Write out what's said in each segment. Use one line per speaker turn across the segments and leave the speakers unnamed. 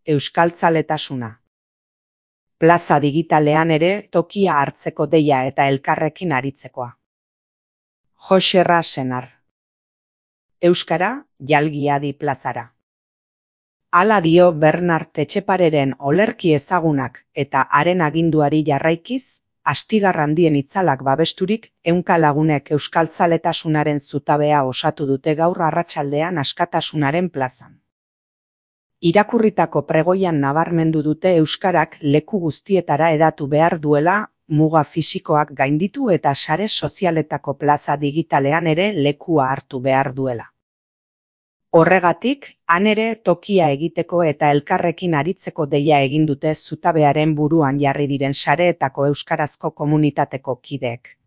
Euskaltzaletasuna. Plaza digitalean ere tokia hartzeko deia eta elkarrekin aritzekoa. Joxerra Senar. Euskara, jalgiadi plazara. Hala dio Bernart Etxepareren olerki ezagunak eta haren aginduari jarraikiz, astigar handien itzalak babesturik, 100 lagunek euskaltzaletasunaren zutabea osatu dute gaur arratsaldean Askatasunaren plazan. Irakurritako pregoian nabarmendu dute euskarak leku guztietara hedatu behar duela, muga fisikoak gainditu eta sare sozialetako plaza digitalean ere lekua hartu behar duela. Horregatik, han ere tokia egiteko eta elkarrekin aritzeko deia egin dute zutabearen buruan jarri diren sareetako euskarazko komunitateko kideek.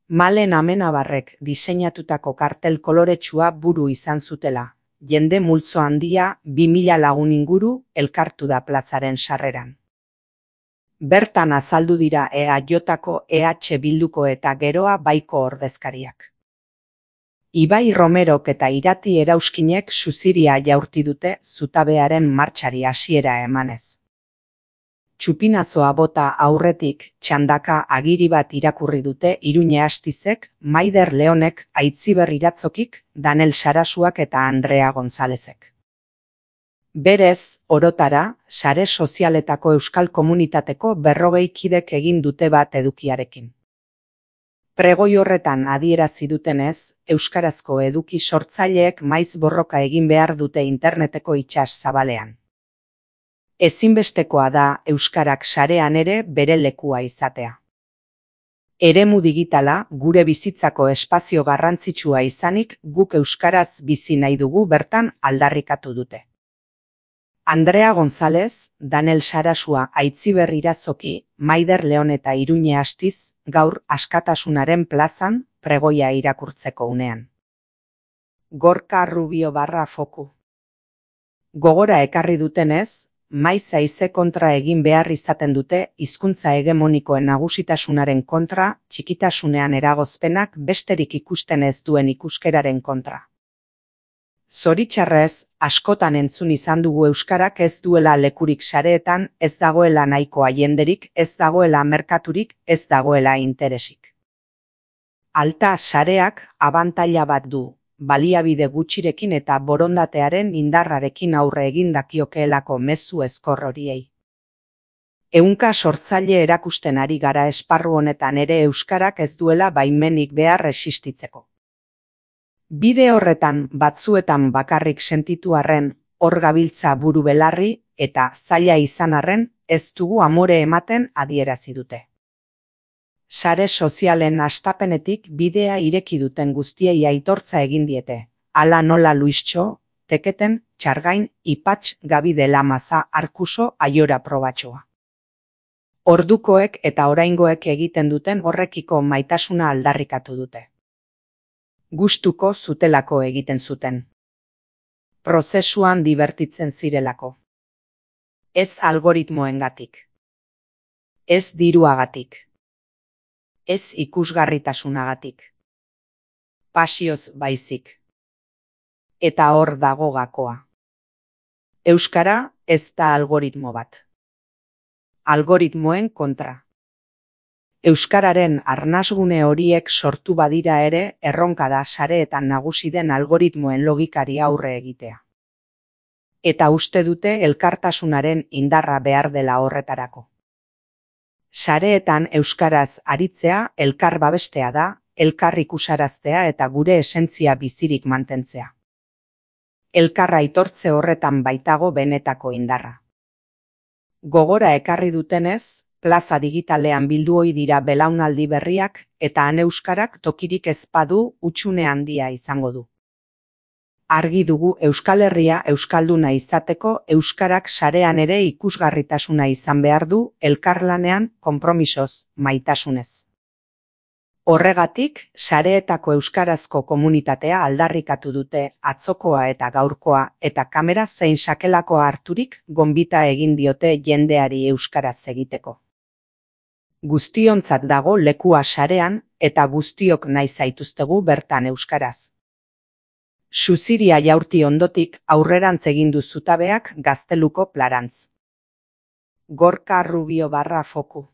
Malen Amenabarrek diseinatutako kartel koloretsua buru izan zutela, jende multzo handia 2000 lagun inguru elkartu da plazaren sarreran. Bertan azaldu dira EAJko, EH Bilduko eta Geroa Baiko ordezkariak. Ibai Romerok eta Irati Erauskinek suziria jaurti dute zutabearen martxari hasiera emanez. Txupinazoa bota aurretik, txandaka agiri bat irakurri dute Iruñe Astizek, Maider Leonek, Aitziber Iratzokik, Danel Sarasuak eta Andrea Gonzalezek. Berez, orotara, sare sozialetako euskal komunitateko 40 kidek egin dute bat edukiarekin. Pregoi horretan adierazi dutenez, euskarazko eduki sortzaileek maiz borroka egin behar dute interneteko itsas zabalean. Ezinbestekoa da euskarak sarean ere bere lekua izatea. Eremu digitala gure bizitzako espazio garrantzitsua izanik guk euskaraz bizi nahi dugu bertan aldarrikatu dute. Andrea González, Danel Sarasua, Aitziber Irazoki, Maider Leon eta Iruñe Astiz, gaur Askatasunaren plazan pregoia irakurtzeko unean. Gorka Rubio _foku. Gogora ekarri dutenez, maiz haize kontra egin behar izaten dute hizkuntza hegemonikoen nagusitasunaren kontra, txikitasunean eragozpenak besterik ikusten ez duen ikuskeraren kontra. Zoritxarrez, askotan entzun izan dugu euskarak ez duela lekurik sareetan, ez dagoela nahikoa jenderik, ez dagoela merkaturik, ez dagoela interesik. Alta sareak abantaila bat du, baliabide gutxirekin eta borondatearen indarrarekin aurre egin dakiokeelako mezu ezkor horiei. 100 sortzaile erakusten ari gara esparru honetan ere euskarak ez duela baimenik behar existitzeko. Bide horretan batzuetan bakarrik sentitu arren, hor gabiltza buru belarri eta zaila izan arren, ez dugu amore ematen adierazi dute. Sare sozialen hastapenetik bidea ireki duten guztiei aitortza egin diete. Hala nola Luistxo, Teketen, Txargain, Ipatx, Gabide Lamaza, Arkuso, Aiora Probatxoa. Ordukoek eta oraingoek egiten duten horrekiko maitasuna aldarrikatu dute. Gustuko zutelako egiten zuten. Prozesuan dibertitzen zirelako. Ez algoritmoengatik. Ez diruagatik. Ez ikusgarritasunagatik. Pasioz baizik. Eta hor dago gakoa. Euskara ez da algoritmo bat. Algoritmoen kontra. Euskararen arnasgune horiek sortu badira ere erronka da sareetan nagusi den algoritmoen logikari aurre egitea. Eta uste dute elkartasunaren indarra behar dela horretarako. Sareetan euskaraz aritzea elkar babestea da, elkar ikusaraztea eta gure esentzia bizirik mantentzea. Elkar aitortze horretan baitago benetako indarra. Gogora ekarri dutenez, plaza digitalean bildu ohi dira belaunaldi berriak eta han euskarak tokirik ez badu hutsune handia izango du. Argi dugu Euskal Herria euskalduna izateko euskarak sarean ere ikusgarritasuna izan behar du elkarlanean konpromisoz, maitasunez. Horregatik, sareetako euskarazko komunitatea aldarrikatu dute atzokoa eta gaurkoa eta kamera zein sakelakoa harturik gonbita egin diote jendeari euskaraz egiteko. Guztiontzat dago lekua sarean eta guztiok nahi zaituztegu bertan euskaraz. Suziria jaurti ondotik aurrerantz egin du zutabeak gazteluko plarantz. Gorka Rubio _ Foku